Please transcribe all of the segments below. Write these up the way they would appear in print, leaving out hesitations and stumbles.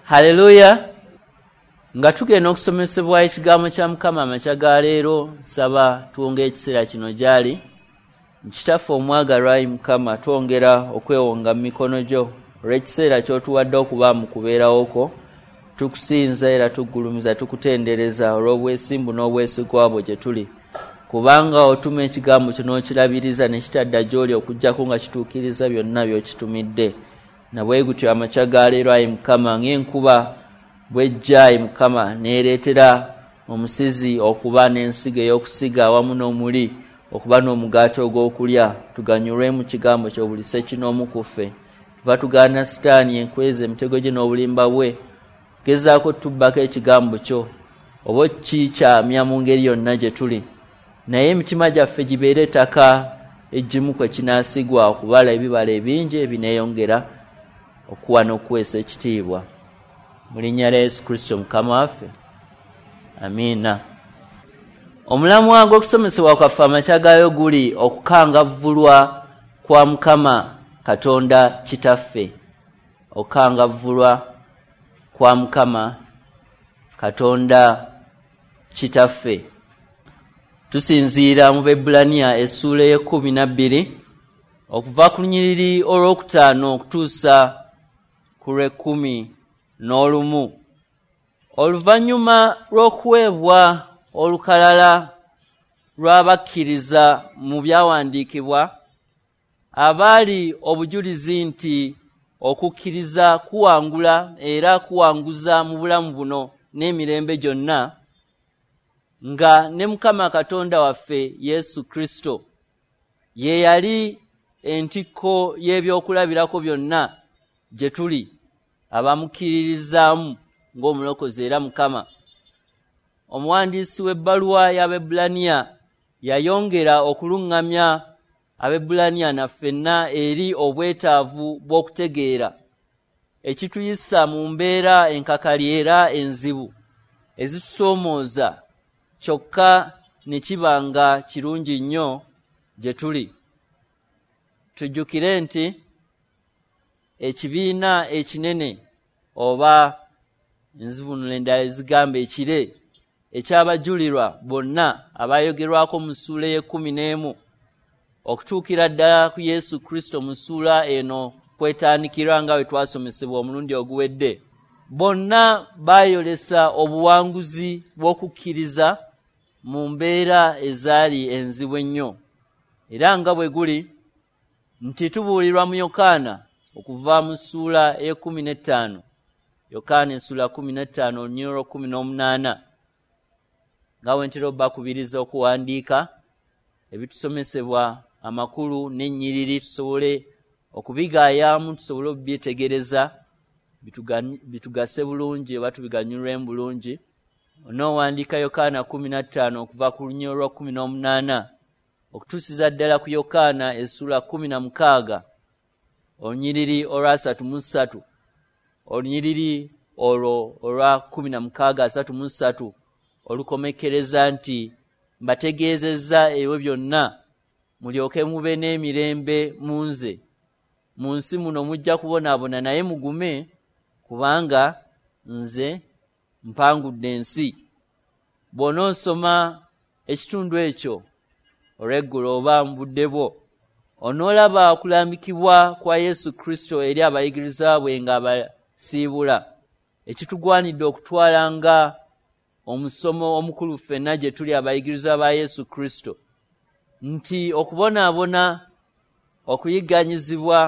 Haleluya! Nga tugenda okusomesebwa ekigambo kya Mukama amakya ga leero, nsaba tuwonge ekiseera kino gy'ali. Kitaffe omwagalwa, ayi Mukama, twongera okwewonga mu mikono gyo olw'ekiseera ky'otuwadde okuba mu kubeerawo kwo. Tukusinza era tuggulumiza, tukutendereza olw'obwesimbu n'obwesigwa bwo gye tuli, kubanga otuma ekigambo kyo n'okirabiriza ne kitadda gy'oli okuggyako nga kituukiriza byonna by'okitumidde. Na bwe gutyo amakya ga leero, ayi Mukama, ng'enkuba bw'ejja, ayi Mukama, n'ereetera omusizi okuba n'ensigo ey'okusiga awamu n'omuli okuba n'omugaati ogw'okulya, tuganyulwe mu kigambo kyo buli ssekinoomu ku ffe. Tuva tugaana Sitaani enkweza emitego gye n'obulimba bwe, gezaako tubbako ekigambo kyo oba okikyamya mu ngeri yonna gye tuli, naye emitima gyaffe gibeere ettaka eggimu kwe kinaasigwa okubala ebibala ebingi ebineeyongera okuwa n'okuweesa ekitiibwa. Mu linnya lya Yesu Kristo Mukama waffe, amiina. Omulamwa gw'okusomesebwa kwaffe amakya gaayo guli okukangavvulwa kwa Mukama Katonda Kitaffe. Okukangavvulwa kwa Mukama Katonda Kitaffe. Tusinziira mu Baebbulaniya essuula ey'e12 okuva ku lunyiriri olwokutaano okutuusa ku lw'e11. Oluvannyuma lw'okuweebwa olukalala lw'abakkiriza mu byawandiikibwa abaali obujulizi nti okukkiriza kuwangula era kuwanguza mu bulamu buno n'emirembe gyonna, nga ne Mukama Katonda waffe Yesu Kristo ye yali entikko y'ebyokulabirako byonna gye tuli abamukkiririzaamu ng'omulokozi era Mukama. Omuwandiisi w'ebbaluwa y'Abaebbulaniya yayongera okuluŋŋamya Abaebbulaniya naffenna eri obwetaavu bw'okutegeera ekituyisa mu mbeera enkakali era enzibu ezitusoomooza, kyokka ne kiba nga kirungi nnyo gye tuli. Tujjukire nti ekibiina ekinene, oba enzivuunula endala ezigamba ekire eky'abajulirwa bonna abayogerwako mu ssuula ey'e11 okutuukira ddala ku Yesu Kristo mu ssuula eno kwetandikirwa nga bwe twasomesebwa omulundi oguwedde, bonna baayolesa obuwanguzi bw'okukkiriza mu mbeera ezaali enzibu ennyo. Era nga bwe guli nti tubuulirwa mu Yokaana okuva mu ssuula ey'e15, Yokaana essuula 15 olunyiriri olw'e18, nga bwe ntera obbakubiriza okuwandiika ebitusomesebwa amakulu n'ennyiriri tusobole okubigayaamu, tusobole okubyetegereza bitugase bulungi oba tubiganyulwemu bulungi. Onoowandiika Yokaana 15 okuva ku lunyiriri olwa 18 okutuusiza ddala ku Yokaana essuula 16 olunyiriri olwa 33, olunyiriri olwo olwa 16:33 olukomekkereza nti mbategeezezza ebyo byonna mulyoke mube n'emirembe mu nze. Mu nsi muno mujja kubonaabona, naye mugume, kubanga nze mpangudde ensi. Bw'onoosoma ekitundu ekyo olw'eggulo oba mu budde bwo, onoolaba okulambikibwa kwa Yesu Kristo eri abayigirizwa bwe ng'abasiibula, ekitugwanidde okutwala nga omusomo omukulu ffenna gye tuli abayigirizwa ba Yesu Kristo, nti okubonaabona, okuyigganyizibwa,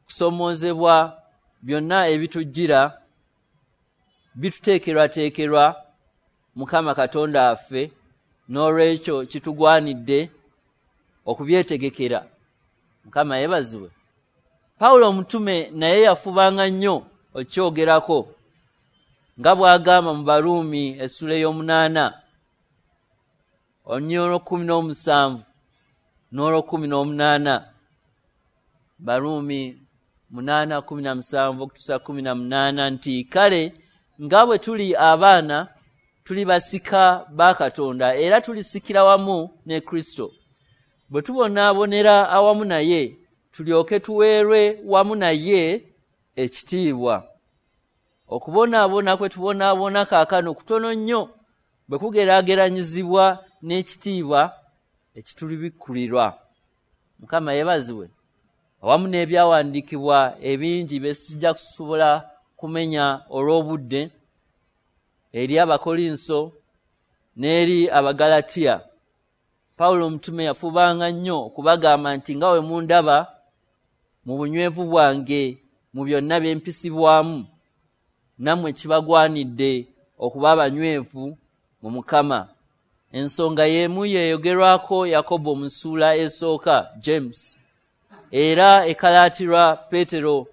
kusomoozebwa byonna ebitujjira bituteekerwateekerwa Mukama Katonda waffe, n'olwekyo kitugwanidde okubyetegekera. Mukama yeebazibwe. Pawulo omutume naye yafubanga nnyo okukyogerako, nga bw'agamba mu Baruumi essuula ey'omunaana olunyiriri olw'e17 n'olw'e18. Baruumi 8:17 okutuusa 18 nti kale nga bwe tuli abaana tuli basika ba Katonda era tulisikira wamu ne Kristo, bwe tubonaabonera awamu naye tulyoke tuweerwe wamu naye ekitiibwa. Okubonaabona kwe tubonaabona kaakano kutono nnyo bwe kugeraageranyizibwa n'ekitiibwa ekitulibikkulirwa. Mukama yeebazibwe. Awamu n'ebyawandiikibwa ebingi bye sijja kusobola kumenya olw'obudde, eri Abakolinso n'eri Abagalatiya. Pawulo omutume yafubanga nnyo okubagamba nti nga we mundaba mu bunywevu bwange mu byonna bye mpisibwamu, nammwe kibagwanidde okuba abanywevu mu Mukama. Ensonga y'emu yeeyogerwako Yakobo mu ssuula esooka, James, era ekalaatirwa Peetero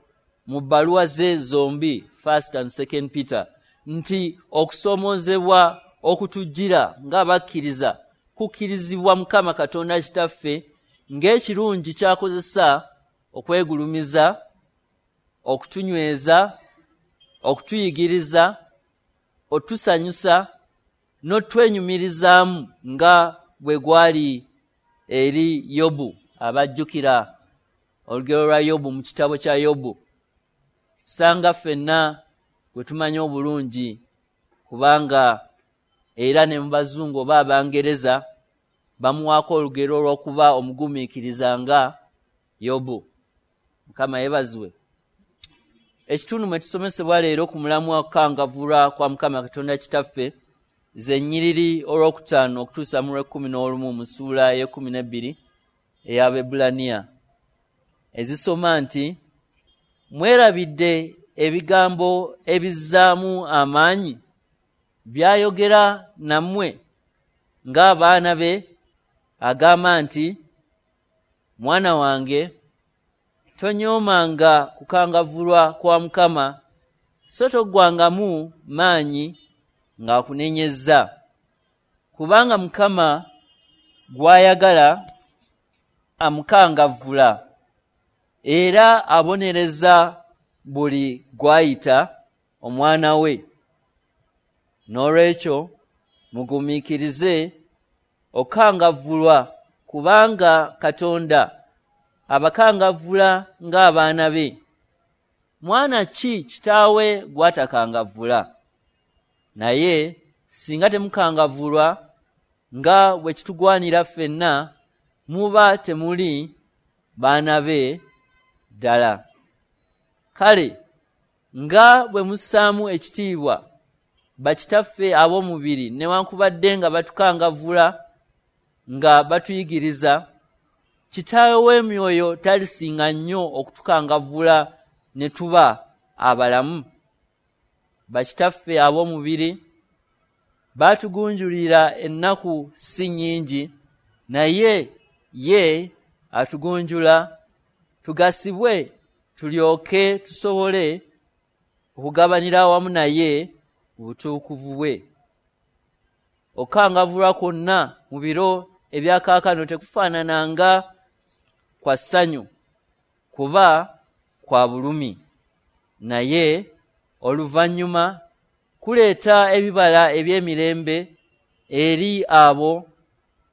mu bbaluwa ze zombi, First and Second Peter, nti okusoomoozebwa okutujjira ng'abakkiriza kukkirizibwa Mukama Katonda Kitaffe ng'ekirungi ky'akozesa okwegulumiza, okutunyweza, okutuyigiriza, otusanyusa n'otwenyumirizaamu nga bwe gwali eri Yobu. Abajjukira olugero lwa Yobu mu kitabo kya Yobu, sanga ffenna gwe tumanyi obulungi, kubanga era ne mu bazungu oba Abangereza bamuwaako olugero olw'okuba omugumiikiriza nga Yobu. Mukama yeebazibwe. Ekitundu mwe tusomesebwa leero ku mulamwa okukangavvulwa kwa Mukama Katonda Kitaffe ze nnyiriri olwokutaano okutuusa mu lw'ekumi n'olumu mu ssuula ey'ekkumi n'ebbiri ey'Abaebbulaniya, ezisoma nti: Mwerabidde ebigambo ebizzaamu amaanyi by'ayogera nammwe ng'abaana be, agamba nti: Mwana wange, tonyoomanga kukangavvulwa kwa Mukama, so toggwangamu maanyi ng'akunenyezza, kubanga Mukama gw'ayagala amukangavvula, era abonereza buli gw'ayita omwana we. Noolwekyo mugumiikirize okukangavvulwa, kubanga Katonda abakangavvula ng'abaana be. Mwana ki kitaawe gw'atakangavvula? Naye singa temukangavvulwa nga bwe kitugwanira ffenna, muba temuli baana be ddala. Kale nga bwe mussaamu ekitiibwa bakitaffe ab'omubiri, newankubadde nga batukangavvula nga batuyigiriza, Kitaawe w'emyoyo talisinga nnyo okutukangavvula ne tuba abalamu? Bakitaffe ab'omubiri baatugunjulira ennaku si nnyingi, naye ye atugunjula tugasibwe tulyoke tusobole okugabanira awamu naye mu butukuvu bwe. Okukangavvulwa kwonna mu biro ebya kaakano tekufaanana nga kwa ssanyu, kuba kwa bulumi, naye oluvannyuma kuleeta ebibala eby'emirembe eri abo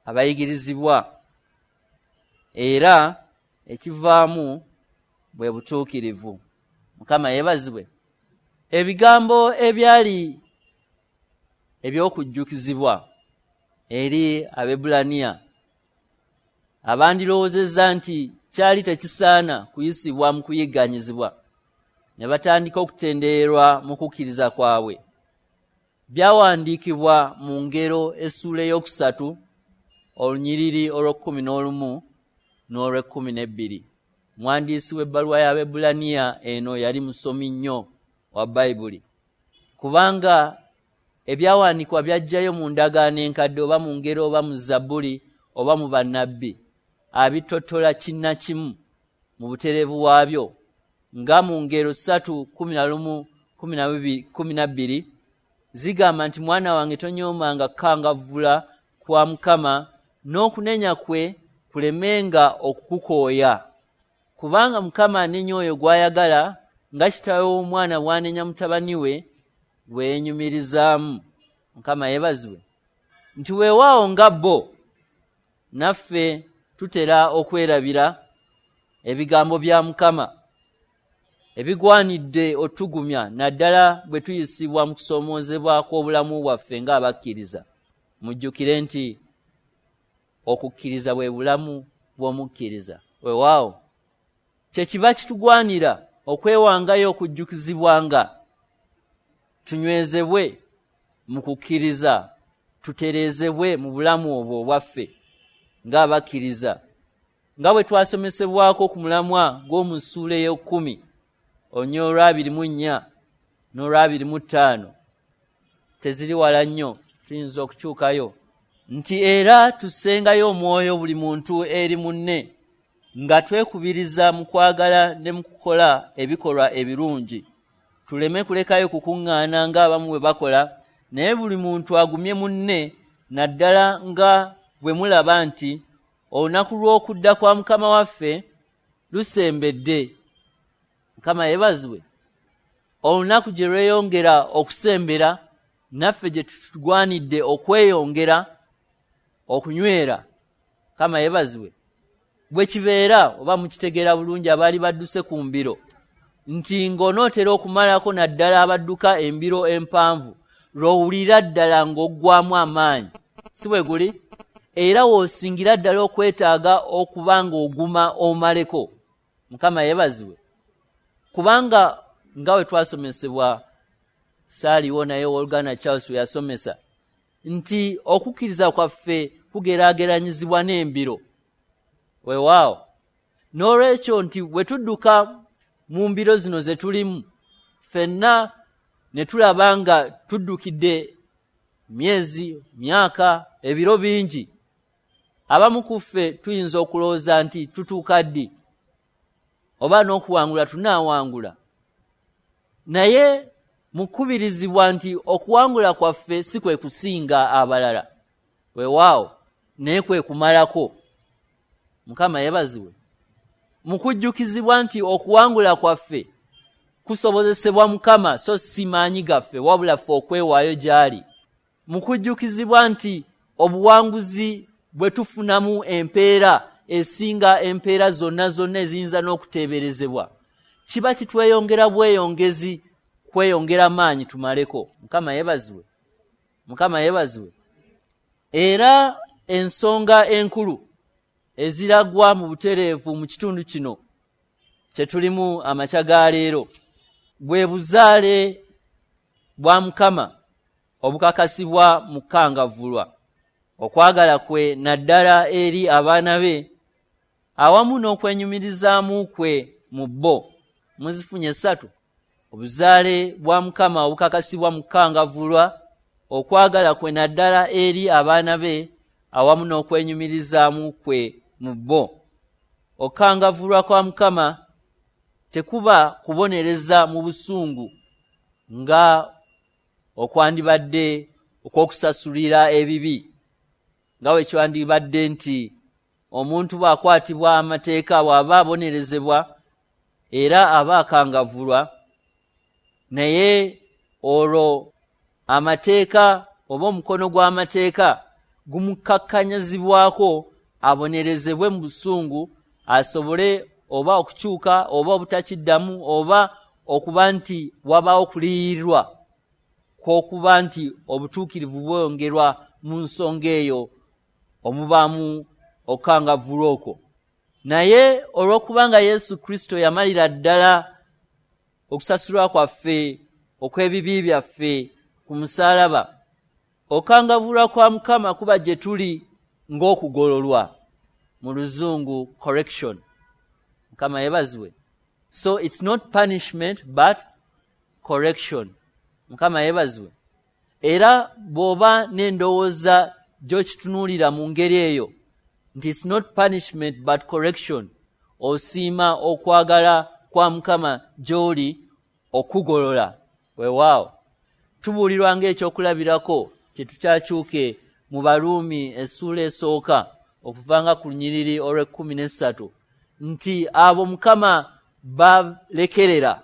abayigirizibwa, era ekivaamu bwe butuukirivu. Mukama yeebazibwe. Ebigambo ebyali eby'okujjukizibwa eri Abaebbulaniya abandirowoozezza nti kyali tekisaana kuyisibwa mu kuyigganyizibwa ne batandika okutendererwa mu kukkiriza kwabwe, byawandiikibwa mu Ngero essuula ey'okusatu olunyiriri olw'ekkumi n'olumu n'olw'ekkumi n'ebbiri. Omuwandiisi w'ebbaluwa y'Abaebbulaniya eno yali musomi nnyo wa Bayibuli, kubanga ebyawandiikibwa by'aggyayo mu Ndagaano Enkadde, oba mu Ngero, oba mu Zabbuli, oba mu bannabbi, abitottola kinnakimu mu butereevu bwabyo, nga mu Ngero 3:11-12 zigamba nti: Mwana wange, tonyoomanga kukangavvula kwa Mukama, n'okunenya kwe kulemenga okukukooya, kubanga Mukama anenya oyo gw'ayagala, nga kitaawe w'omwana bw'anenya mutabani we gwe yeenyumirizaamu. Mukama yeebazibwe. Nti weewaawo nga bo, naffe tutera okwerabira ebigambo bya Mukama. Ebigwanidde otugumya naddala bwe tuyisibwa mu kusoomoozebwa kw'obulamu bwaffe ng'abakkiriza. Mujjukire nti okukkiriza bwe bulamu bw'omukkiriza. Weewaawo kye kiba kitugwanira okwewangayo okujjukizibwanga tunywezebwe mu kukkiriza, tutereezebwe mu bulamu obwo obwaffe ng'abakkiriza, nga bwe twasomesebwako ku mulamwa gw'omu ssuula ey'ekkumi onyo olwa 24 n'olwa 25. Teziri wala nnyo, tuyinza okukyukayo nti era tussengayo omwoyo buli muntu eri munne nga twekubiriza mu kwagala ne mu kukola ebikolwa ebirungi, tuleme kulekayo kukuŋŋaana ng'abamu bwe bakola, naye buli muntu agumye munne, naddala nga bwe mulaba nti olunaku lw'okudda kwa Mukama waffe lusembedde. Mukama yeebazibwe. Olunaku gye lweyongera okusembera, naffe gye tutugwanidde okweyongera okunywera. Mukama yeebazibwe. Bwe kibeera oba mukitegeera bulungi abaali badduse ku mbiro nti ng'onootera okumalako, naddala abadduka embiro empanvu, lw'owulira ddala ng'oggwamu amaanyi, si bwe guli? Era w'osingira ddala okwetaaga okuba ng'oguma omaleko. Mukama yeebazibwe. Kubanga nga bwe twasomesebwa, saaliwo naye owooluganda Charles we yasomesa nti okukkiriza kwaffe kugeraageranyizibwa n'embiro. Weewaawo n'olwekyo nti bwe tudduka mu mbiro zino ze tulimu ffenna ne tulaba nga tuddukidde myezi, myaka, ebiro bingi, abamu ku ffe tuyinza okulowooza nti tutuuka ddi oba n'okuwangula tunaawangula. Naye mukubirizibwa nti okuwangula kwaffe si kwe kusinga abalala, weewaawo, naye kwe kumalako. Mukama yeebazibwe. Mukujjukizibwa nti okuwangula kwaffe kusobozesebwa Mukama so si maanyi gaffe, wabula ffe okwewaayo gy'ali. Mukujjukizibwa nti obuwanguzi bwe tufunamu empeera esinga empeera zonna zonna eziyinza n'okuteeberezebwa, kiba kitweyongera bweyongezi kweyongera maanyi tumaleko. Mukama yeebazibwe. Mukama yeebazibwe. Era ensonga enkulu eziragwa mu butereevu mu kitundu kino kye tulimu amakya ga leero bwe buzaale bwa Mukama obukakasibwa mu kukangavvulwa, okwagala kwe naddala eri abaana be, awamu n'okwenyumirizaamu kwe mu bo. Muzifunye essatu: obuzaale bwa Mukama obukakasibwa mu kukangavvulwa, okwagala kwe naddala eri abaana be, awamu n'okwenyumirizaamu kwe mu bo. Okukangavvulwa kwa Mukama tekuba kubonereza mu busungu nga okwandibadde okw'okusasulira ebibi, nga bwe kyandibadde nti omuntu bw'akwatibwa amateeka bw'aba abonerezebwa era aba akangavvulwa, naye olwo amateeka oba omukono gw'amateeka gumukakkanyizibwako abonerezebwe mu busungu, asobole oba okukyuka oba obutakiddamu, oba okuba nti wabaawo okuliyirirwa kw'okuba nti obutuukirivu bwongerwa mu nsonga eyo omubaamu okukangavvulwa okwo. Naye olw'okubanga Yesu Kristo yamalira ddala okusasulwa kwaffe okw'ebibi byaffe ku musaalaba, okukangavvulwa kwa Mukama kuba gye tuli ng'okugololwa, mu Luzungu correction. Mukama yeebazibwe. So it's not punishment but correction. Mukama yeebazibwe. Era bw'oba n'endowooza gy'okitunuulira mu ngeri eyo nti it's not punishment but correction, osiima okwagala kwa Mukama gy'oli okugolola. Weewaawo tubuulirwa ng'ekyokulabirako kye tukyakyuke mu Baruumi essuula esooka okuvanga ku lunyiriri olw'ekkumi n'essatu nti abo Mukama balekerera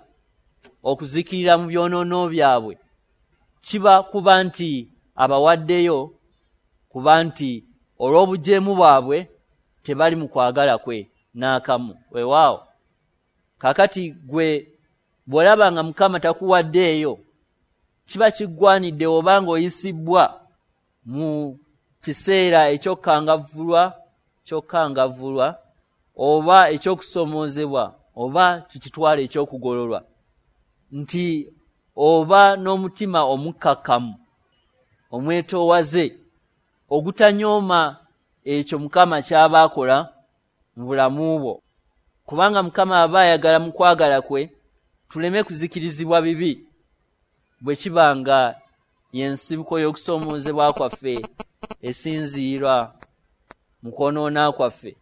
okuzikirira mu byonoono byabwe, kiba kuba nti abawaddeyo kuba nti olw'obujeemu bwabwe tebali mu kwagala kwe n'akamu. Weewaawo kaakati gwe Bw'olaba nga Mukama takuwaddeeyo, kiba kiggwanidde oba ng'oyisibbwa mu kiseera eky'okkangavvulwa oba eky'okusomoozebwa oba tukitwala eky'okugololwa, nti oba n'omutima omukkakkamu omwetoowaze ogutanyooma ekyo Mukama ky'aba akola mu bulamu bwo. Kubanga Mukama aba ayagala mu kwagala kwe tuleme kuzikirizibwa bibi bwe kiba nga y'ensibuko y'okusoomoozebwa kwaffe esinziirwa mu kwonoona kwaffe.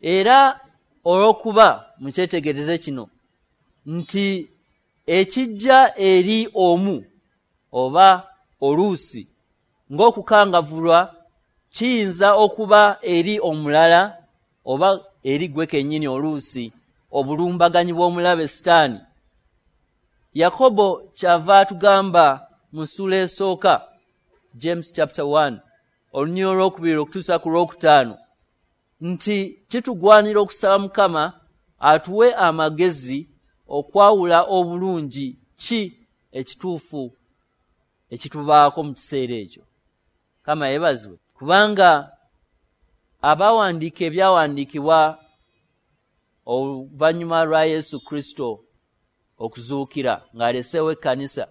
Era olw'okuba mukyetegereze kino nti ekijja eri omu oba oluusi ng'okukangavvulwa kiyinza okuba eri omulala oba eri gwe kennyini oluusi obulumbaganyi bw'omulabe Sitaani. Yakobo kyava atugamba mu ssuula esooka, James chapter 1, olunyiriri olwokubiri okutuusa ku lwokutaano, nti kitugwanira okusaba Mukama atuwe amagezi okwawula obulungi ki ekituufu ekitubaako mu kiseera ekyo. Mukama yeebazibwe, kubanga abawandiika ebyawandiikibwa oluvannyuma lwa Yesu Kristo okuzuukira ng'aleseewo ekkanisa,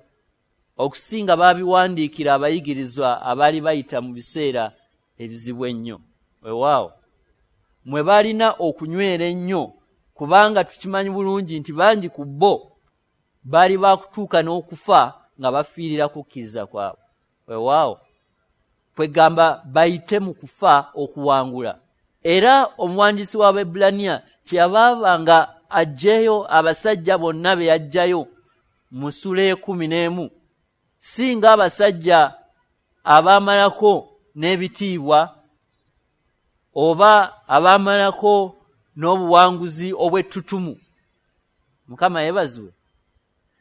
okusinga baabiwandiikira abayigirizwa abaali bayita mu biseera ebizibu ennyo. Weewaawo mwe balina okunywera ennyo, kubanga tukimanyi bulungi nti bangi ku bo baali bakutuuka n'okufa nga bafiirira kukkiriza kwabwe. Weewaawo kwegamba bayite mu kufa okuwangula. Era omuwandiisi w'Abaebbulaniya kyeyava nga aggyeyo abasajja bonna be yaggyayo mu ssuula ey'ekkumi n'emu, si ng'abasajja abaamalako n'ebitiibwa oba abaamalako n'obuwanguzi obw'ettutumu. Mukama yeebazibwe.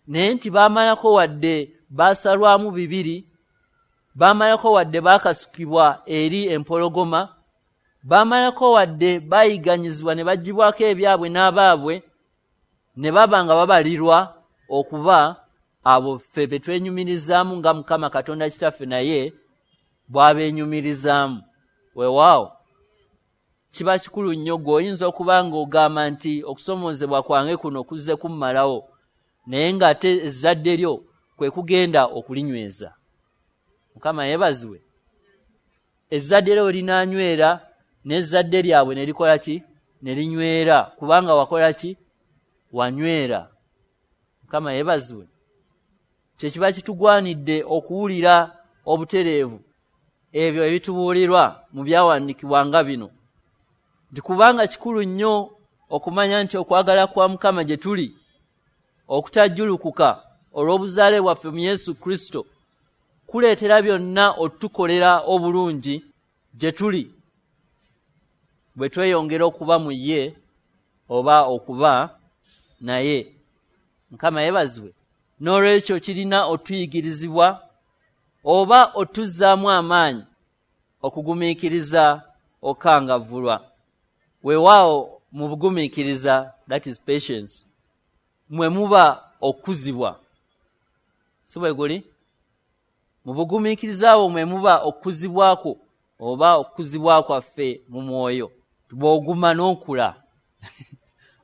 Naye nti baamalako wadde baasalwamu bibiri, baamalako wadde baakasukibwa eri empologoma, baamalako wadde baayiganyizibwa ne baggyibwako ebyabwe n'abaabwe, ne baba nga babalirwa okuba abo ffe be twenyumirizaamu nga Mukama Katonda Kitaffe naye bw'abeenyumirizaamu. Weewaawo kiba kikulu nnyo gwe oyinza okuba ng'ogamba nti okusomoozebwa kwange kuno kuzze kummalawo, naye ng'ate ezzadde lyo kwe kugenda okulinyweza. Mukama yeebazibwe. Ezzadde lyo linaanywera n'ezzadde lyabwe ne likola ki? Ne linywera, kubanga wakola ki? Wanywera. Mukama yeebazibwe. Kye kiba kitugwanidde okuwulira obutereevu ebyo ebitubuulirwa mu byawandiikibwa nga bino, nti kubanga kikulu nnyo okumanya nti okwagala kwa Mukama gye tuli okutajjulukuka olw'obuzaale bwaffe mu Yesu Kristo kuleetera byonna otukolera obulungi gye tuli bwe tweyongera okuba mu ye oba okuba naye. Mukama yeebazibwe. N'olwekyo kirina otuyigirizibwa oba otuzzaamu amaanyi okugumiikiriza okukangavvulwa. Weewaawo mu bugumiikiriza, that is patience, mwe muba okukuzibwa. Si bwe guli? Mu bugumiikiriza bwo mwe muba okukuzibwako oba okukuzibwa kwaffe mu mwoyo. Bw'oguma n'okula.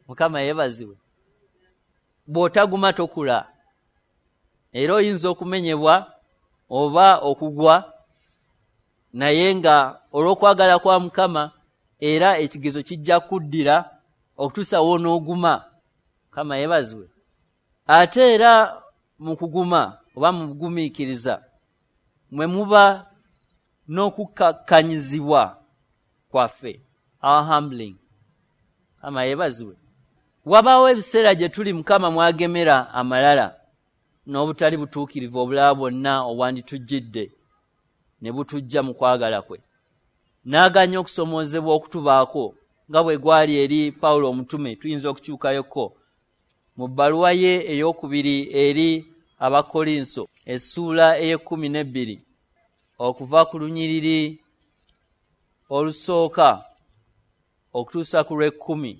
Mukama yeebazibwe. Bw'otaguma tokula. Era oyinza okumenyebwa oba okugwa, naye nga olw'okwagala kwa Mukama era ekigezo kijja kuddira okutuusa w'onooguma. Mukama yeebazibwe. Ate era mu kuguma oba mu bugumiikiriza mwe muba n'okukkakkanyizibwa kwaffe, our humbling. Mukama yeebazibwe. Wabaawo ebiseera gye tuli Mukama mwagemera amalala n'obutali butuukirivu obulala bwonna obwanditujjidde ne butujja mu kwagala kwe, n'aganya okusomoozebwa okutubaako nga bwe gwali eri Pawulo omutume. Tuyinza okukyukayoko mu bbaluwa ye ey'okubiri eri Abakkolinso essuula ey'e12 okuva ku lunyiriri olusooka okutuusa ku lw'ekkumi.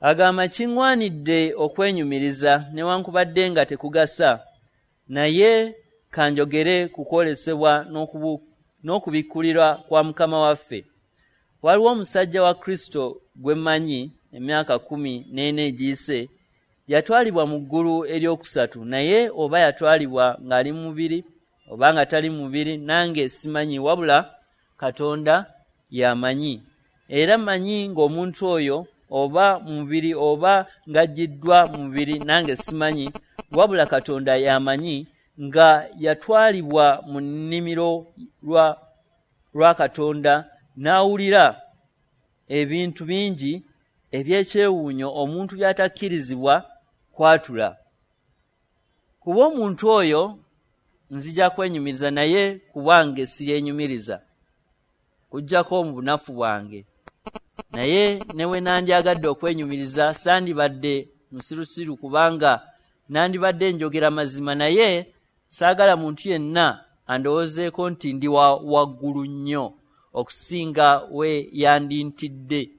Agamba, kiŋŋwanidde okwenyumiriza newankubadde nga tekugasa, naye kanjogere ku kwolesebwa n'okubikkulirwa kwa Mukama waffe. Waliwo omusajja wa Kristo gwe mmanyi emyaka 14 egiyise, yatwalibwa mu ggulu eryokusatu, naye oba yatwalibwa ng'ali mu mubiri oba nga tali mu mubiri nange simanyi, wabula Katonda y'amanyi. Era mmanyi ng'omuntu oyo oba mu mubiri oba ng'aggiddwa mu mubiri nange simanyi, wabula Katonda y'amanyi, nga yatwalibwa mu nnimiro lwa Katonda n'awulira ebintu bingi eby'ekyewuunyo omuntu by'atakkirizibwa kwatula. Kuba omuntu oyo nzija kwenyumiriza, naye ku bwange siryenyumiriza, kuggyako mu bunafu bwange. Naye ne we nandyagadde okwenyumiriza sandibadde musirusiru, kubanga nandibadde njogera mazima, naye saagala muntu yenna andowoozeeko nti ndi wa waggulu nnyo okusinga we yandintadde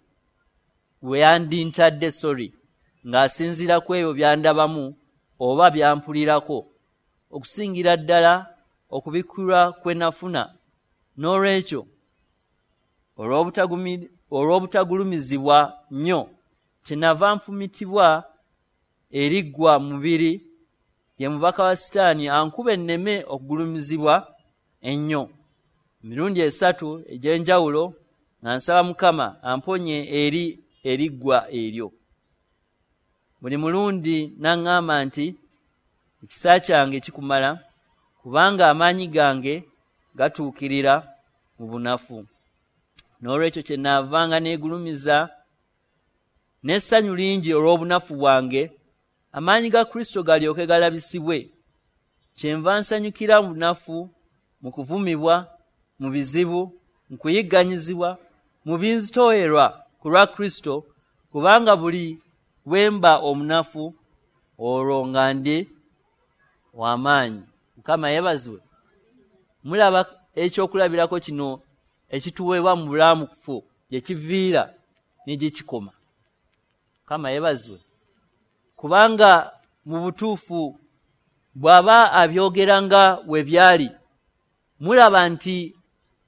ng'asinziira ku ebyo by'andabamu oba byampulirako, okusingira ddala okubikkulwa kwe nafuna. N'olwekyo olw'obutagulumizibwa nnyo kyenava nfumitibwa eriggwa mu mubiri, ye mubaka wa Sitaani ankuba enneme okugulumizibwa ennyo. Emirundi 3 egy'enjawulo nga nsaba Mukama amponye eri eriggwa eryo. Buli mulundi n'aŋŋamba nti ekisa kyange kikumala, kubanga amaanyi gange gatuukirira mu bunafu. N'olwekyo kyenaavanga neegulumiza n'essanyu lingi olw'obunafu bwange, amaanyi ga Kristo galyoke galabisibwe. Kyenva nsanyukira mu bunafu, mu kuvumibwa, mu bizibu, mu kuyigganyizibwa, mu binzitoowerwa ku lwa Kristo, kubanga buli bwe mba omunafu olwo nga ndi w'amaanyi. Mukama yeebazibwe. Mulaba ekyokulabirako kino ekituweebwa mu bulamufu gye kiviira ne gye kikoma. Mukama yeebazibwe. Kubanga mu butuufu bw'aba abyogera nga we byali, mulaba nti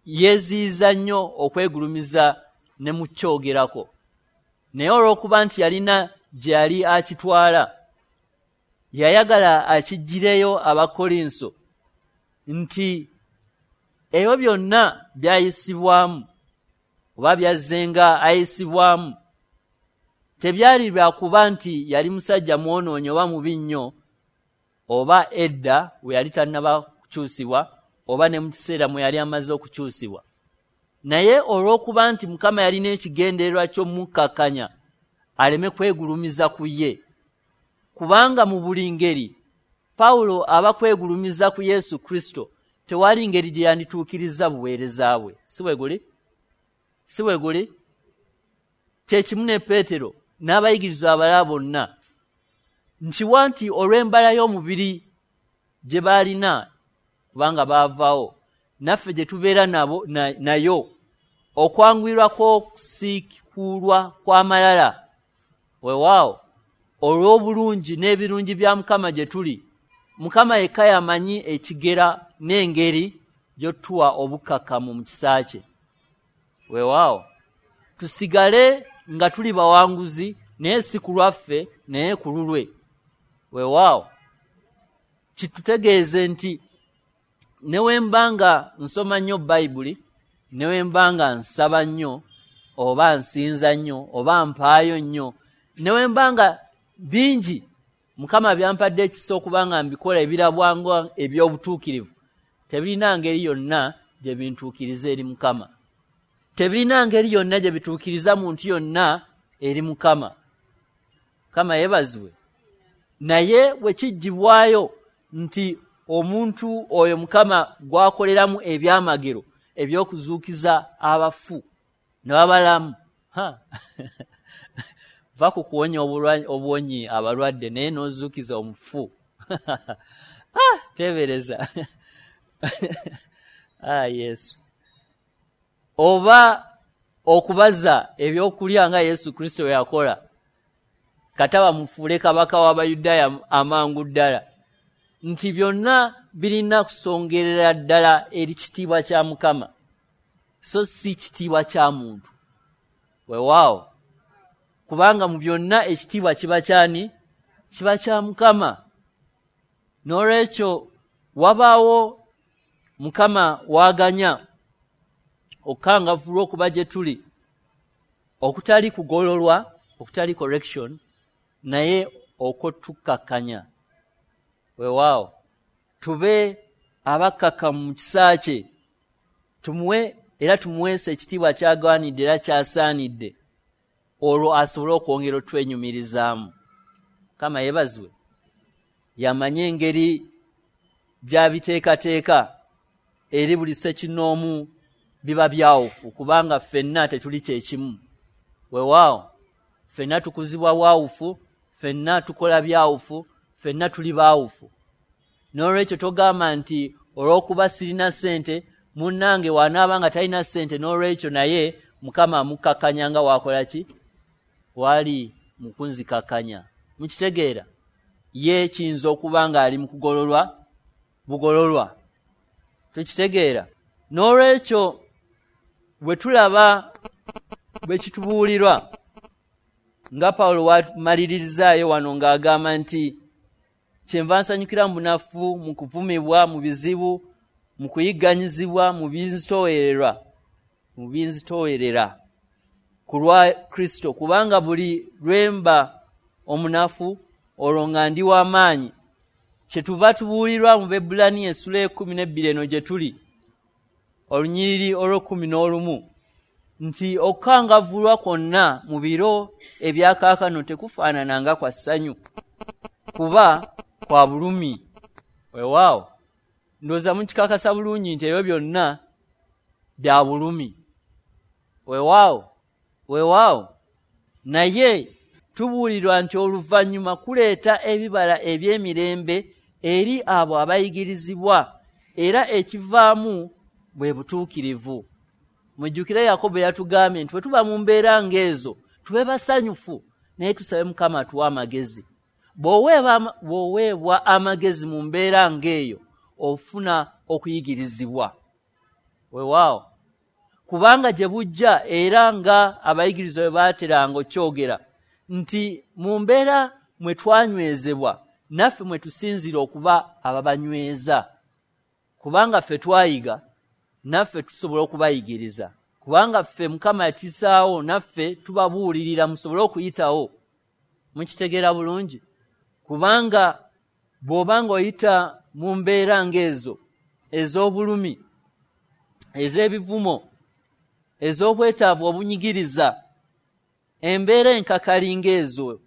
yeeziyiza nnyo okwegulumiza ne mu kyogerako. Naye olw'okuba nti yalina gye yali akitwala, yayagala akiggireyo Abakolinso nti ebyo byonna byayisibwamu oba byazzenga ayisibwamu, tebyali lwakuba nti yali musajja mwonoonyi oba mubi nnyo, oba edda we yali tannaba kukyusibwa, oba ne mu kiseera mwe yali amaze okukyusibwa. Naye olw'okuba nti Mukama yalina ekigendererwa ky'omukkakkanya aleme kwegulumiza ku ye, kubanga mu buli ngeri Pawulo aba kwegulumiza ku Yesu Kristo, tewali ngeri gye yandituukiriza buweereza bwe. Si bwe guli? Si bwe guli? Kye kimu ne Peetero n'abayigirizwa abalala bonna. Nkiwa nti olw'embala y'omubiri gye baalina, kubanga baavaawo, naffe gye tubeera nayo, okwanguyirwa kw'okusiikulwa kw'amalala, weewaawo olw'obulungi n'ebirungi bya Mukama gye tuli. Mukama yekka y'amanyi ekigera n'engeri gy'otuwa obukkakkamu mu kisa kye. Weewaawo tusigale nga tuli bawanguzi, naye si ku lwaffe, naye ku lulwe. Weewaawo kitutegeeze nti ne we mba nga nsoma nnyo Bayibuli, ne we mba nga nsaba nnyo, oba nsinza nnyo, oba mpaayo nnyo, ne we mba nga bingi Mukama byampadde ekisa okuba nga mbikola ebirabwanga eby'obutuukirivu, tebirina ngeri yonna gye bintuukiriza eri Mukama. Tebirina ngeri yonna gye bituukiriza muntu yonna eri Mukama. Mukama yeebazibwe. Naye bwe kiggyibwayo nti omuntu oyo Mukama gw'akoleramu ebyamagero eby'okuzuukiza abafu ne babalamu, va ku kuwonya obuwonyi abalwadde naye n'ozuukiza omufu. Teebereza. Yesu. Oba okubaza ebyokulya nga Yesu Kristo yakola. Kata bamufuule kabaka w'Abayudaaya amangu ddala. Nti byonna birina kusongerera ddala eri kitiibwa kya Mukama, so si kitiibwa kya muntu. Weewaawo, kubanga mu byonna ekitiibwa kiba kyani? Kiba kya Mukama. N'olwekyo wabaawo Mukama waaganya okukangavvulwa okuba gye tuli, okutali kugololwa, okutali correction, naye okwotukkakkanya. Weewaawo, tube abakkakkamu mu kisa kye, tumuwe era tumuweese ekitiibwa ky'agwanidde era ky'asaanidde, olwo asobole okwongera otwenyumirizaamu. Mukama yeebazibwe, yamanye engeri gy'abiteekateeka eri buli ssekinnoomu biba byawufu, kubanga ffenna tetuli kyekimu. Weewaawo, ffenna tukuzibwa bwawufu, ffenna tukola byawufu, ffenna tuli baawufu. N'olwekyo togamba nti olw'okuba sirina ssente, munnange w'anaaba nga talina ssente, n'olwekyo naye Mukama amukkakkanya nga w'akola ki? Wali mu kunzikakkanya. Mukitegeera? Ye kiyinza okuba ng'ali mu kugololwa bugololwa. Tukitegeera? N'olwekyo bwe tulaba bwe kitubuulirwa nga Pawulo wamalirizaayo wano ng'agamba nti kyenva nsanyukira mu bunafu, mu kuvumibwa, mu bizibu, mu kuyigganyizibwa, mu binzitoowerera ku lwa Kristo, kubanga buli lwe mba omunafu olwo nga ndi w'amaanyi. Kyetuva tubuulirwa mu Baebbulaniya essula 12 eno gye tuli, olunyiriri olw'11, nti okukangavvulwa kwonna mu biro ebya kaakano tekufaanana nga kwa ssanyu, kuba kwa bulumi. Weewaawo, ndowooza mukikakasa bulungi nti ebyo byonna bya bulumi. Weewaawo, weewaawo, naye tubuulirwa nti oluvannyuma kuleeta ebibala eby'emirembe eri abo abayigirizibwa, era ekivaamu bwe butuukirivu. Mujjukire Yakobo yatugambye nti bwe tuba mu mbeera ng'ezo tube basanyufu, naye tusabe Mukama atuwe amagezi. Bw'oweebwa amagezi mu mbeera ng'eyo ofuna okuyigirizibwa. Weewaawo, kubanga gye bujja era nga abayigirizwa bwe baateranga okyogera nti mu mbeera mwe twanywezebwa naffe mwe tusinziira okuba ababanyweza, kubanga ffe twayiga naffe tusobola okubayigiriza, kubanga ffe Mukama yatuyisaawo naffe tubabuulirira musobole okuyitawo. Mukitegeera bulungi? Kubanga bw'oba ng'oyita mu mbeera ng'ezo ez'obulumi, ez'ebivumo, ez'obwetaavu obunyigiriza, embeera enkakali ng'ezo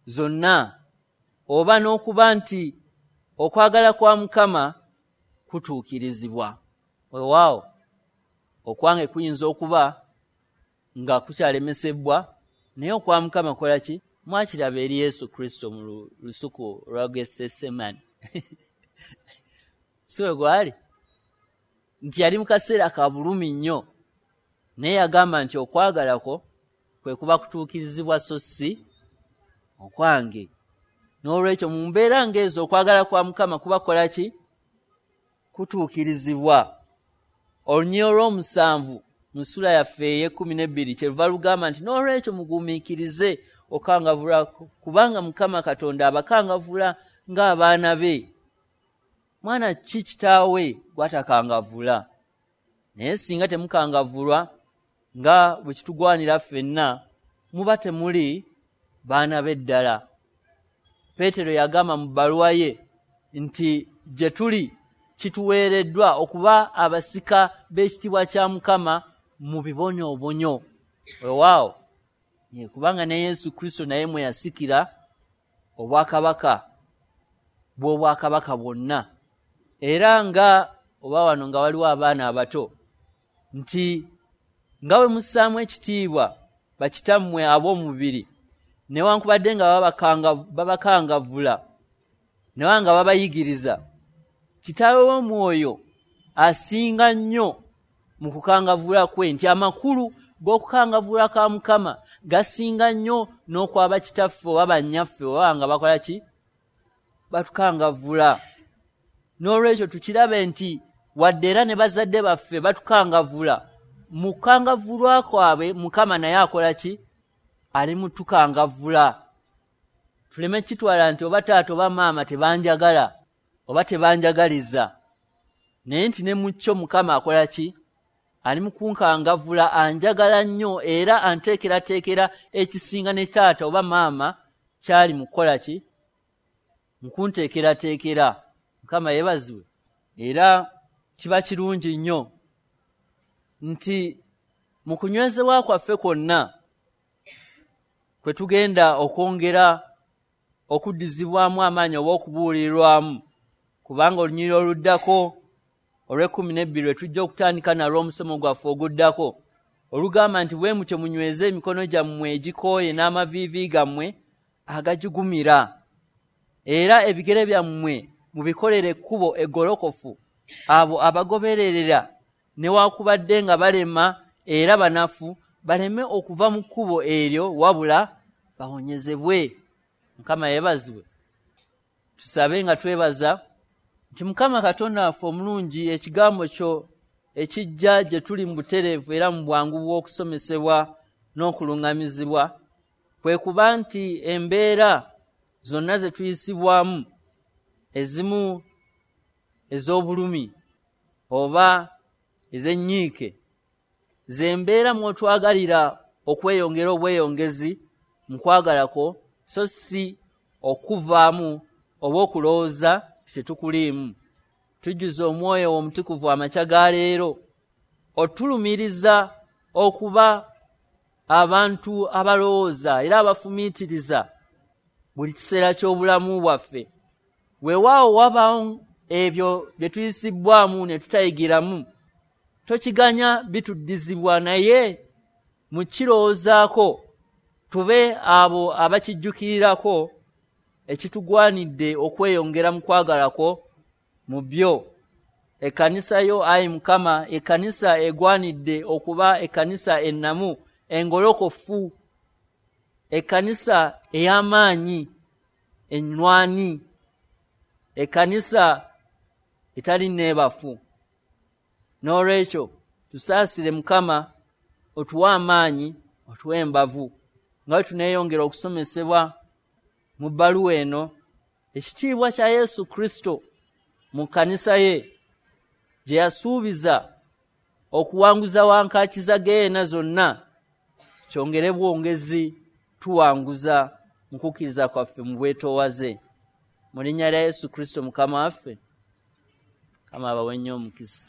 zonna, oba n'okuba nti okwagala kwa Mukama kutuukirizibwa. Weewaawo, okwange kuyinza okuba nga kukyalemesebwa, naye okwa Mukama kukola ki? Mwakiraba eri Yesu Kristo mu lusuku lwa Getsemani. Si we gwali? Nti yali mu kaseera ka bulumi nnyo, naye yagamba nti okwagala kwo kwe kuba kutuukirizibwa so si okwange. N'olwekyo mu mbeera ng'ezo okwagala kwa Mukama kuba kukola ki? Kutuukirizibwa. Olunyiriri olw'omusanvu mu ssula yaffe ey'e12 kyeruva lugamba nti n'olwekyo mugumiikirize okukangavvula, kubanga Mukama Katonda abakangavvula ng'abaana be. Mwana ki kitaawe gw'atakangavvula? Naye singa temukangavvulwa nga bwe kitugwanira ffenna, muba temuli baana be ddala. Peetero yagamba mu bbaluwa ye nti gye tuli kituweereddwa okuba abasika b'ekitiibwa kya Mukama mu bibonyoobonyo. Weewaawo, kubanga ne Yesu Kristo naye mwe yasikira obwakabaka bw'obwakabaka bwonna. Era nga oba wano nga waliwo abaana abato, nti nga bwe mussaamu ekitiibwa bakitammwe ab'omubiri, newankubadde nga babakangavvula, naye nga babayigiriza, kitaawe w'omwoyo asinga nnyo mu kukangavvula kwe, nti amakulu g'okukangavvula ka Mukama gasinga nnyo n'okwaba kitaffe oba bannyaffe oba nga bakola ki, batukangavvula. N'olwekyo tukirabe nti wadde era ne bazadde baffe batukangavvula, mu kukangavvulwa kwabwe Mukama naye akola ki, ali mu tukangavvula. Tuleme kitwala nti oba taata oba maama tebanjagala oba tebanjagaliza, naye nti ne mu kyo Mukama akola ki, ali mu kunkangavvula, anjagala nnyo era anteekerateekera ekisinga ne taata oba maama kyali mu kukola ki, mu kunteekerateekera. Mukama yeebazibwe. Era kiba kirungi nnyo nti mu kunywezebwa kwaffe kwonna kwe tugenda okwongera okuddizibwamu amaanyi oba okubuulirirwamu, kubanga olunyiriri oluddako olw'e12 lwe tujja okutandika nalwo omusomo gwaffe oguddako, olugamba nti bwe mutyo munyweze emikono gyammwe egikooye n'amaviivi gammwe agagigumira, era ebigere byammwe mubikolere ekkubo eggolokofu, abo abagobererera newaakubadde nga balema era banafu baleme okuva mu kkubo eryo, wabula bawonyezebwe. Mukama yeebazibwe. Tusabe nga twebaza nti Mukama Katonda waffe omulungi, ekigambo kyo ekijja gye tuli mu butereevu era mu bwangu bw'okusomesebwa n'okuluŋŋamizibwa, kwe kuba nti embeera zonna ze tuyisibwamu, ezimu ez'obulumi oba ez'ennyiike, ze mbeera mw'otwagalira okweyongera obweyongezi mu kwagala kwo, so si okuvaamu oba okulowooza tetukuliimu. Tujjuze Omwoyo Omutukuvu amakya ga leero otulumiriza okuba abantu abalowooza era abafumiitiriza buli kiseera ky'obulamu bwaffe. Weewaawo wabaawo ebyo bye tuyisibwamu ne tutayigiramu, tokiganya bituddizibwa, naye mu kirowoozaako tube abo abakijjukirirako ekitugwanidde okweyongera mu kwagala kwo mu byo. Ekkanisa yo, ayi Mukama, ekkanisa egwanidde okuba ekkanisa ennamu, engolokofu, ekkanisa ey'amaanyi, ennwani, ekkanisa etali neebafu. N'olwekyo tusaasire Mukama, otuwe amaanyi, otuwe embavu, nga bwe tuneeyongera okusomesebwa mu bbaluwa eno, ekitiibwa kya Yesu Kristo mu kkanisa ye gye yasuubiza okuwanguza wankaaki za geyeena zonna, kyongere bwongezi tuwanguza mu kukkiriza kwaffe mu bwetoowaze. Mu linnya lya Yesu Kristo Mukama waffe, Mukama abawe nnyo omukisa.